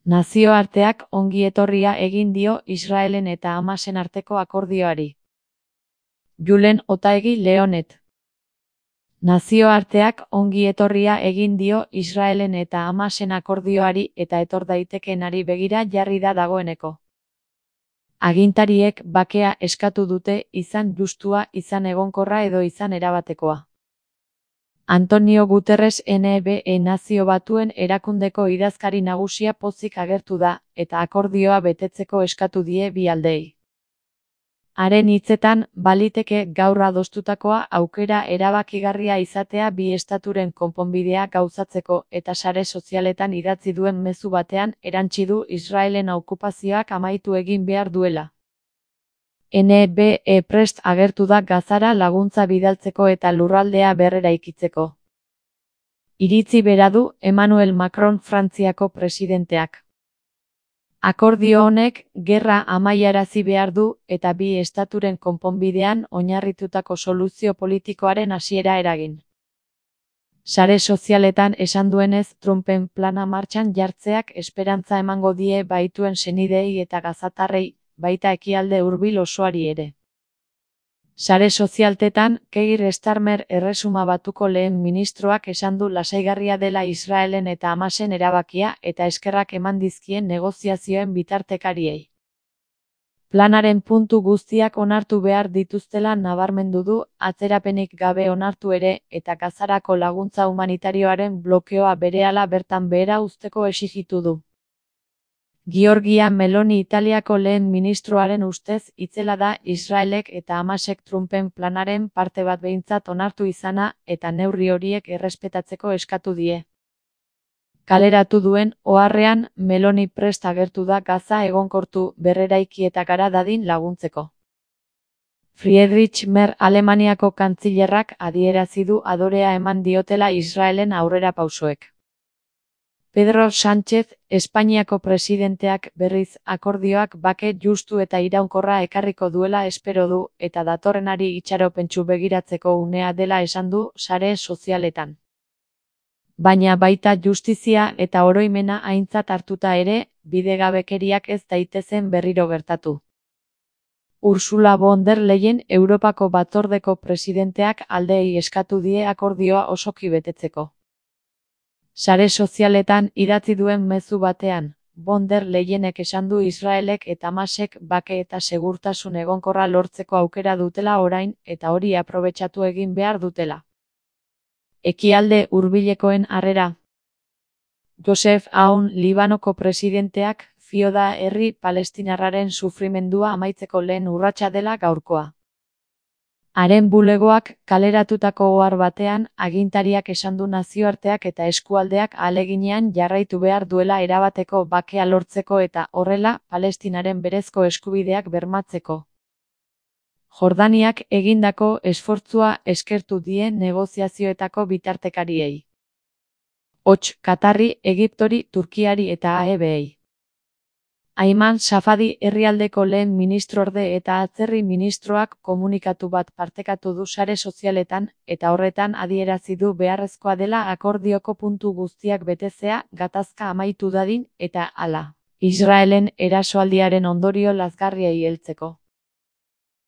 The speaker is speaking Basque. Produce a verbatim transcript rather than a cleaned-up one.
Nazioarteak ongi etorria egin dio Israelen eta Hamasen arteko akordioari. Julen Otaegi Leonet. Nazioarteak ongi etorria egin dio Israelen eta Hamasen akordioari eta etor daitekeenari begira jarri da dagoeneko. Agintariek bakea eskatu dute, izan justua, izan egonkorra edo izan erabatekoa. Antonio Guterres N B E Nazio Batuen Erakundeko idazkari nagusia pozik agertu da, eta akordioa betetzeko eskatu die bi aldeei. Haren hitzetan, baliteke gaur adostutakoa aukera erabakigarria izatea bi estaturen konponbidea gauzatzeko, eta sare sozialetan idatzi duen mezu batean erantsi du Israelen okupazioak amaitu egin behar duela. N B E prest agertu da Gazara laguntza bidaltzeko eta lurraldea berreraikitzeko. Iritzi bera du Emmanuel Macron Frantziako presidenteak. Akordio honek gerra amaiarazi behar du eta bi estaturen konponbidean oinarritutako soluzio politikoaren hasiera eragin. Sare sozialetan esan duenez, Trumpen plana martxan jartzeak esperantza emango die baituen senideei eta gazatarrei, baita ekialde hurbil osoari ere. Sare sozialtetan, Keir Starmer Erresuma Batuko lehen ministroak esan du lasaigarria dela Israelen eta Hamasen erabakia eta eskerrak eman dizkien negoziazioen bitartekariei. Planaren puntu guztiak onartu behar dituztela nabarmendu du, atzerapenik gabe onartu ere, eta Gazarako laguntza humanitarioaren blokeoa berehala bertan behera uzteko exijitu du. Giorgia Meloni Italiako lehen ministroaren ustez itzela da Israelek eta Hamasek Trumpen planaren parte bat behintzat onartu izana eta neurri horiek errespetatzeko eskatu die. Kaleratu duen oharrean, Meloni prest agertu da Gaza egonkortu, berreraiki eta gara dadin laguntzeko. Friedrich Merz Alemaniako kantzilerrak adierazi du adorea eman diotela Israelen aurrerapausoek. Pedro Sánchez, Espainiako presidenteak berriz akordioak bake justu eta iraunkorra ekarriko duela espero du eta datorrenari itxaropentsu begiratzeko unea dela esan du sare sozialetan. Baina baita justizia eta oroimena aintzat hartuta ere, bidegabekeriak ez daitezen berriro gertatu. Ursula von der Leyen Europako Batzordeko presidenteak aldeei eskatu die akordioa osoki betetzeko. Sare sozialetan idatzi duen mezu batean, von der Leyenek esan du Israelek eta Hamasek bake eta segurtasun egonkorra lortzeko aukera dutela orain eta hori aprobetxatu egin behar dutela. Ekialde hurbilekoen harrera. Joseph Aoun Libanoko presidenteak fio da herri palestinarraren sufrimendua amaitzeko lehen urratsa dela gaurkoa. Haren bulegoak kaleratutako ohar batean, agintariak esan du nazioarteak eta eskualdeak ahaleginean jarraitu behar duela erabateko bakea lortzeko eta horrela, Palestinaren berezko eskubideak bermatzeko. Jordaniak egindako esfortzua eskertu die negoziazioetako bitartekariei. Hots, Katarri, Egiptori, Turkiari eta A E Bei. Ayman Safadi herrialdeko lehen ministrorde eta atzerri ministroak komunikatu bat partekatu du sare sozialetan, eta horretan adierazi du beharrezkoa dela akordioko puntu guztiak betezea gatazka amaitu dadin eta hala. Israelen erasoaldiaren ondorio lazgarriei heltzeko.